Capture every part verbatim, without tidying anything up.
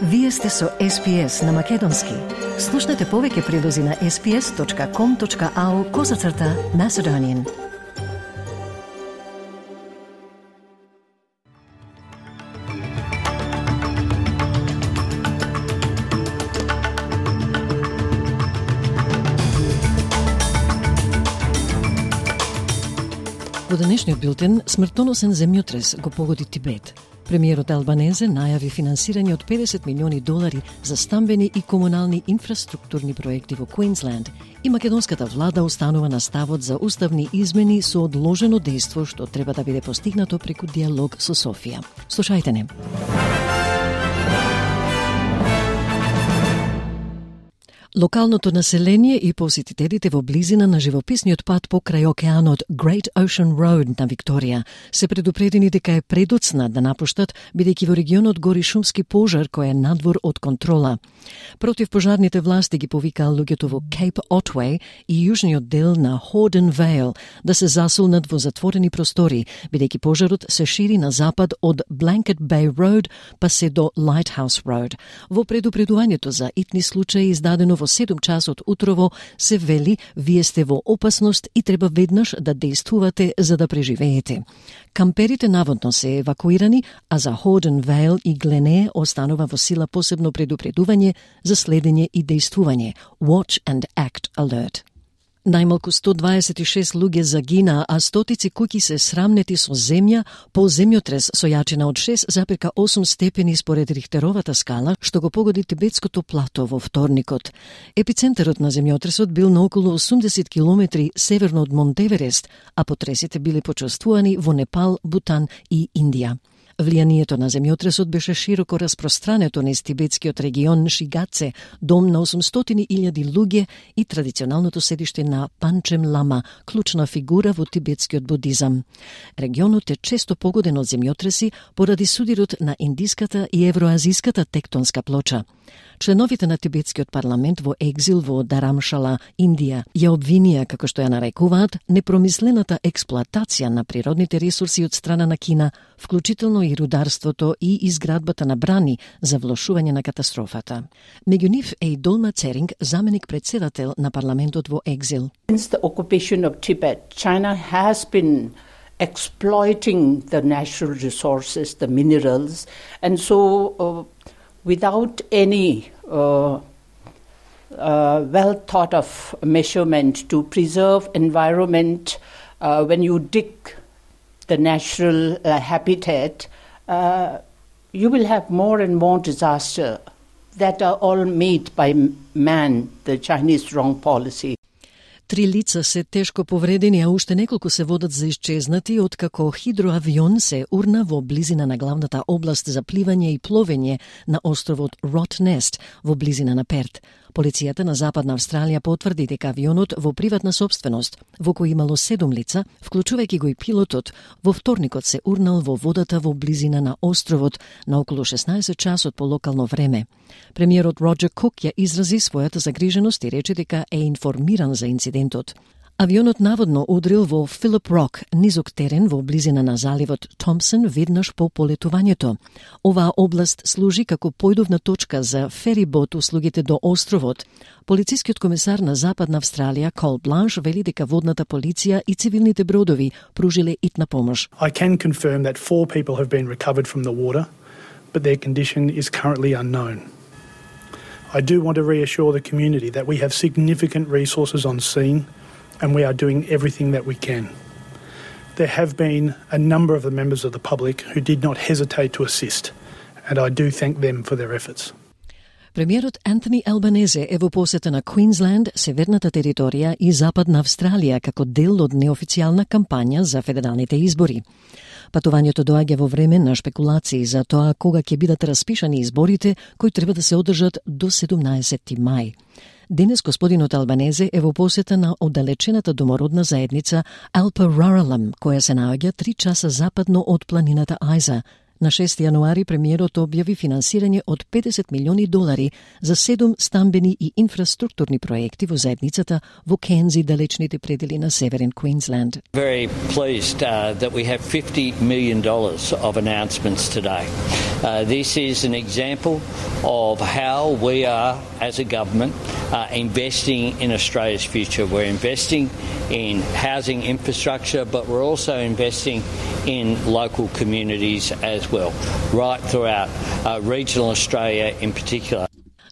Вие сте со Ес Би Ес на Македонски. Слушнете повеќе прилози на ес би ес точка ком точка ау козацрта Macedonian. Во денешниот билтен, смртоносен земјотрес го погоди Тибет. Премиерот Албанезе најави финансирање од педесет милиони долари за стамбени и комунални инфраструктурни проекти во Квинсленд и македонската влада останува на ставот за уставни измени со одложено дејство што треба да биде постигнато преку диалог со Софија. Слушајте не. Локалното население и посетителите во близина на живописниот пат покрај океанот Great Ocean Road на Викторија се предупредени дека е предоцна да напуштат, бидејќи во регионот гори шумски пожар кој е надвор од контрола. Противпожарните власти ги повикаа луѓето во Cape Otway и јужниот дел на Horden Vale да се засулнат во затворени простори, бидејќи пожарот се шири на запад од Blanket Bay Road па се до Lighthouse Road. Во предупредувањето за итни случаи издадено во седум часот утрово се вели вие сте во опасност и треба веднаш да действувате за да преживеете. Камперите наводно се евакуирани, а за Horden Vale и Glenea останува во сила посебно предупредување за следење и действување Watch and Act Alert. Најмалку сто дваесет и шест луѓе загинаа, а стотици куќи се срамнети со земја по земјотрес со јачина од шест запирка осум степени според Рихтеровата скала, што го погоди Тибетското плато во вторникот. Епицентарот на земјотресот бил на околу осумдесет километри северно од Монтеверест, а потресите биле почувствувани во Непал, Бутан и Индија. Влијанието на земјотресот беше широко распространето низ тибетскиот регион Шигаце, дом на осумстотини илјади луѓе и традиционалното седиште на Панчем Лама, клучна фигура во тибетскиот будизам. Регионот е често погоден од земјотреси поради судирот на индиската и евроазиската тектонска плоча. Членовите на тибетскиот парламент во екзил во Дарамшала, Индија, ја обвинија, како што ја нарекуваат, непромислената експлоатација на природните ресурси од страна на Кина, вклучително и рударството и изградбата на брани за влошување на катастрофата. Меѓу нив е и Долма Церинг, заменик председател на парламентот во екзил. Since the occupation of Tibet, China has been exploiting the natural resources, the minerals, and so uh, without any uh, uh, well thought of measurement to preserve environment, uh, when you dig the natural uh, habitat, uh, you will have more and more disaster that are all made by man, the Chinese wrong policy. Три лица се тешко повредени, а уште неколку се водат за исчезнати, откако хидроавион се урна во близина на главната област за пливање и пловење на островот Ротнест во близина на Перт. Полицијата на Западна Австралија потврди дека авионот во приватна собственост, во кој имало седум лица, вклучувајќи го и пилотот, во вторникот се урнал во водата во близина на островот на околу шеснаесет часот по локално време. Премиерот Роджер Кук ја изрази својата загриженост и рече дека е информиран за инцидентот. Авионот наводно удрил во Филип Рок, низок терен во близина на заливот Томпсон веднаш по полетувањето. Оваа област служи како појдовна точка за ферибот услугите до островот. Полицискиот комесар на Западна Австралија Кол Бланш вели дека водната полиција и цивилните бродови пружиле итна помош. I can confirm that four people have been recovered from the water, but their condition is currently unknown. I do want to reassure the community that we have significant resources on scene and we are doing everything that we can. There have been a number of the members of the public who did not hesitate to assist, and I do thank them for their efforts. Премиерот Антони Албанезе е во посета на Квинсленд, северната територија и Западна Австралија како дел од неофицијална кампања за федералните избори. Патувањето доаѓа во време на шпекулации за тоа кога ќе бидат распишани изборите, кои треба да се одржат до седумнаесети мај. Денес господинот Албанезе е во посета на оддалечената домородна заедница Алпа Руралам, која се наоѓа три часа западно од планината Ајза. На шести јануари премиерот објави финансирање од педесет милиони долари за седум стамбени и инфраструктурни проекти во заедницата во Кензи, далечните предели на северен Квинсленд. Very pleased uh, that we have fifty million dollars of announcements today. Uh, this is an example of how we are, as a government, uh, investing in Australia's future. We're investing in housing infrastructure, but we're also investing in local communities as well, right throughout uh, regional Australia in particular.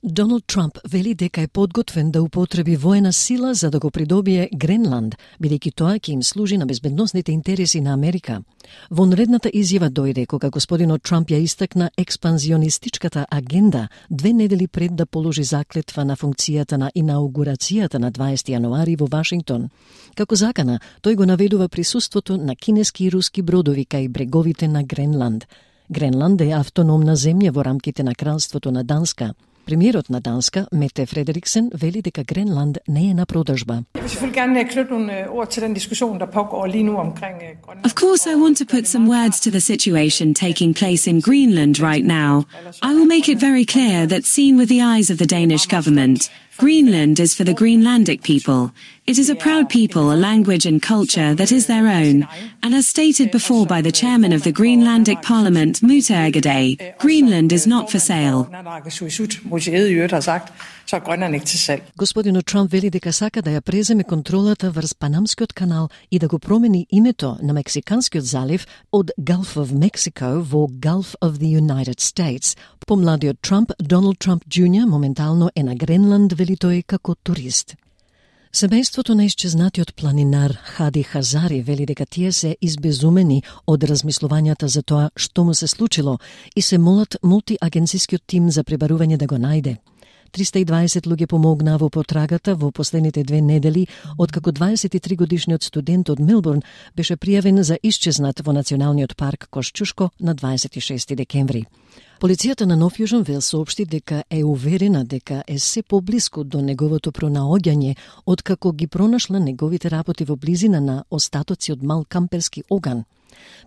Доналд Трамп вели дека е подготвен да употреби воена сила за да го придобие Гренланд, бидејќи тоа ќе им служи на безбедносните интереси на Америка. Вонредната изјава дојде кога господинот Трамп ја истакна експанзионистичката агенда две недели пред да положи заклетва на функцијата на инаугурацијата на дваесети јануари во Вашингтон. Како закана, тој го наведува присуството на кинески и руски бродови кај бреговите на Гренланд. Гренланд е автономна земја во рамките на кралството на Данска. Премиерот на Данска, Мете Фредериксен, вели дека Гренланд не е на продажба. Of course, I want to put some words to the situation taking place in Greenland right now. I will make it very clear that seen with the eyes of the Danish government, Greenland is for the Greenlandic people. It is a proud people, a language and culture that is their own. And as stated before by the chairman of the Greenlandic Parliament, Muta Agaday, Greenland is not for sale. Господинот Трамп вели дека сака да ја преземе контролата врз Панамскиот канал и да го промени името на Мексиканскиот залив од Gulf of Mexico во Gulf of the United States. Помладиот Трамп, Доналд Трамп Джуниор, моментално е на Гренланд, вели тој како турист. Семејството на исчезнатиот планинар Хади Хазари вели дека тие се избезумени од размислувањата за тоа што му се случило и се молат мултиагенцискиот тим за пребарување да го најде. триста и дваесет луѓе помогнаа во потрагата во последните две недели, откако дваесет и три годишниот студент од Мелбурн беше пријавен за исчезнат во Националниот парк Кошчушко на дваесет и шести декември. Полицијата на Нов Јужен Велс соопшти дека е уверена дека е се поблиску до неговото пронаоѓање, откако ги пронашла неговите работи во близина на остатоци од мал камперски оган.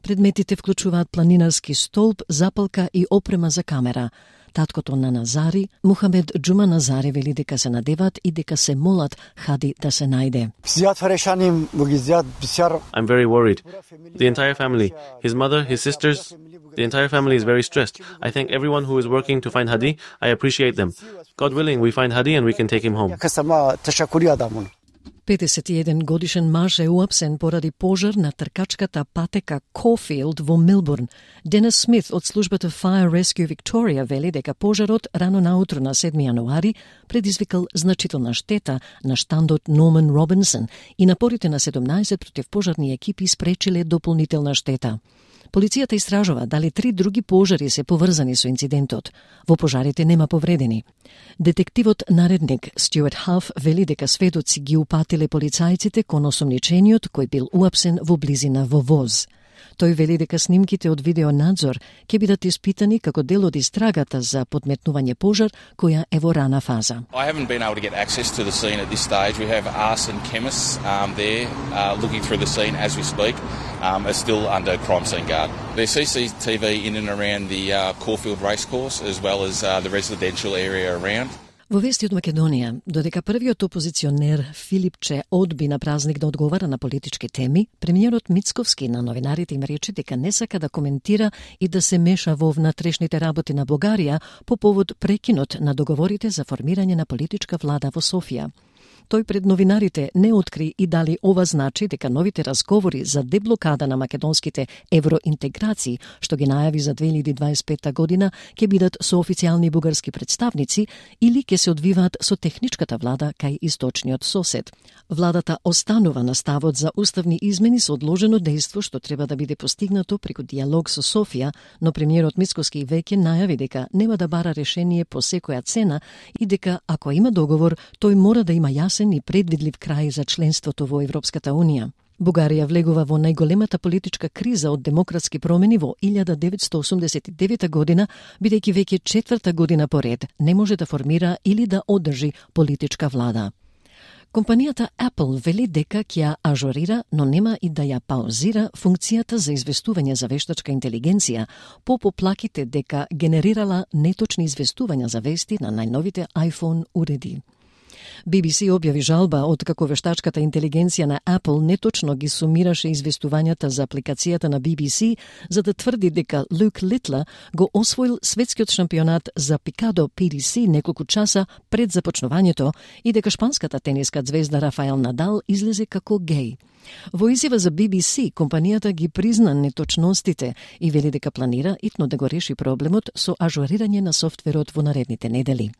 Предметите вклучуваат планинарски столб, запалка и опрема за камера. Таткото на Назари, Мухамед Джума Назари, вели дека се надеваат и дека се молат Хади да се најде. I'm very worried. The entire family, his mother, his sisters, the entire family is very stressed. I thank everyone who is working to find Hadi. I appreciate them. God willing, we find Hadi and we can take him home. педесет и еден годишен маж е уапсен поради пожар на тркачката патека Кофилд во Мелбурн. Денис Смит од службата Fire Rescue Victoria вели дека пожарот рано наутро на седми јануари предизвикал значителна штета на штандот Норман Робинсон и напорите на седумнаесет противпожарни екипи спречиле дополнителна штета. Полицијата истражува дали три други пожари се поврзани со инцидентот. Во пожарите нема повредени. Детективот наредник Стюарт Хаф вели дека сведоци ги упатиле полицајците кон осомничениот кој бил уапсен во близина во воз. Тој вели дека снимките од видеонадзор ќе бидат испитани како дел од истрагата за подметнување пожар која е во рана фаза. I haven't been able to get access to the scene at this stage. We have arson chemists um, there uh, looking through the scene as we speak. Um, are still under crime scene guard. There's C C T V in and around the uh, Caulfield racecourse as well as uh, the residential area around. Во вести од Македонија, додека првиот опозиционер Филипче одби на празник да одговара на политички теми, премиерот Мицковски на новинарите им рече дека не сака да коментира и да се меша во внатрешните работи на Бугарија по повод прекинот на договорите за формирање на политичка влада во Софија. Тој пред новинарите не откри и дали ова значи дека новите разговори за деблокада на македонските евроинтеграции, што ги најави за две илјади дваесет и пета година, ќе бидат со официјални бугарски представници или ќе се одвиваат со техничката влада кај источниот сосед. Владата останува на ставот за уставни измени со одложено дејство што треба да биде постигнато преку диалог со Софија, но премиерот Мицковски веќе најави дека нема да бара решение по секоја цена и дека ако има договор, тој мора да има јасен и предвидлив крај за членството во Европската Унија. Бугарија влегува во најголемата политичка криза од демократски промени во илјада деветстотини осумдесет и девета година, бидејќи веќе четврта година поред не може да формира или да одржи политичка влада. Компанијата Apple вели дека ќе ја ажорира, но нема и да ја паузира функцијата за известување за вештачка интелигенција по поплаките дека генерирала неточни известувања за вести на најновите iPhone уреди. Би Би Си објави жалба откако вештачката интелигенција на Apple неточно ги сумираше известувањата за апликацијата на Би Би Си, за да тврди дека Люк Литлер го освоил светскиот шампионат за пикадо Пи Ди Си неколку часа пред започнувањето и дека шпанската тениска звезда Рафаел Надал излезе како геј. Во изјава за Би Би Си, компанијата ги призна неточностите и вели дека планира итно да го реши проблемот со ажурирање на софтверот во наредните недели.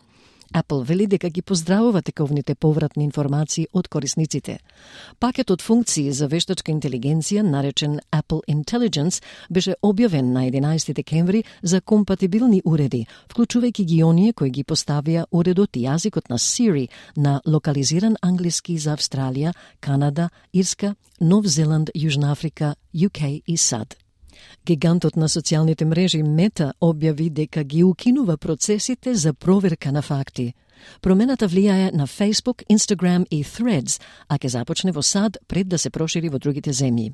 Apple вели дека ги поздравува тековните повратни информации од корисниците. Пакетот функции за вештачка интелигенција, наречен Apple Intelligence, беше објавен на единаесети декември за компатибилни уреди, вклучувајќи ги оние кои ги поставија уредот и јазикот на Siri на локализиран англиски за Австралија, Канада, Ирска, Нов Зеланд, Јужна Африка, Ю Кеј и САД. Гигантот на социјалните мрежи Мета објави дека ги укинува процесите за проверка на факти. Промената влијае на Facebook, Instagram и Threads, а ќе започне во САД пред да се прошири во другите земји.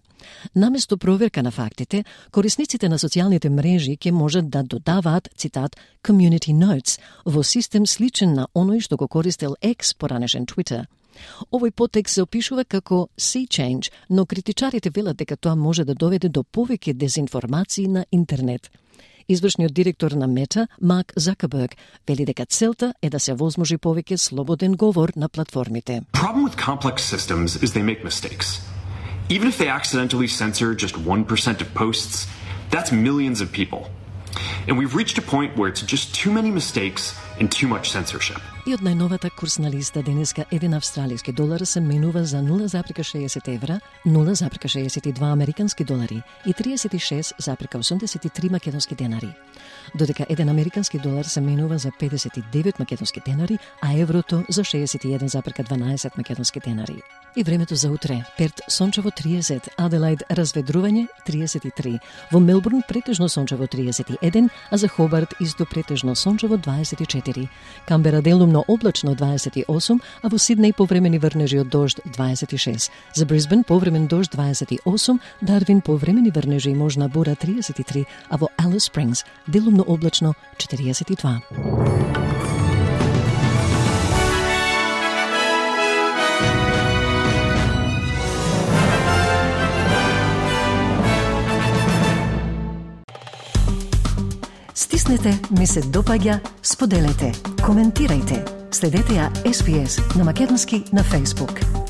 Наместо проверка на фактите, корисниците на социјалните мрежи ќе можат да додаваат, цитат, community notes во систем сличен на оној што го користел X, поранешен Twitter. Овој потек се опишува како sea change, но критичарите велат дека тоа може да доведе до повеќе дезинформации на интернет. Извршниот директор на Мета, Марк Закерберг, вели дека целта е да се возможи повеќе слободен говор на платформите. The problem with complex systems is they make mistakes. Even if they accidentally censor just one percent of posts, that's millions of people. And we've reached a point where it's just too many mistakes and too much censorship. И од најновата курсна листа денеска еден австралиски долар се менува за нула зарка шеесет евра, нула зарка шеесет и два американски долари и триесет и шест зарка осумдесет и три македонски денари. Додека еден американски долар се менува за педесет и девет македонски денари, а еврото за шеесет и еден зарка дванаесет македонски денари. И времето за утре: Перт сончево триесет, Аделаид разведрување триесет и три, во Мелбурн претежно сончево триесет и еден, а за Хобарт исто претежно сончево дваесет и четири, Камбера делумно облачно дваесет и осум, а во Сиднеј повремени врнежи од дожд дваесет и шест, за Брисбен повремен дожд дваесет и осум, Дарвин повремени врнежи и можна бура триесет и три, а во Алис Спрингс делумно облачно четириесет и два. Стиснете, ми се допаѓа, споделете, коментирајте. Следете ја Ес Би Ес на македонски на Facebook.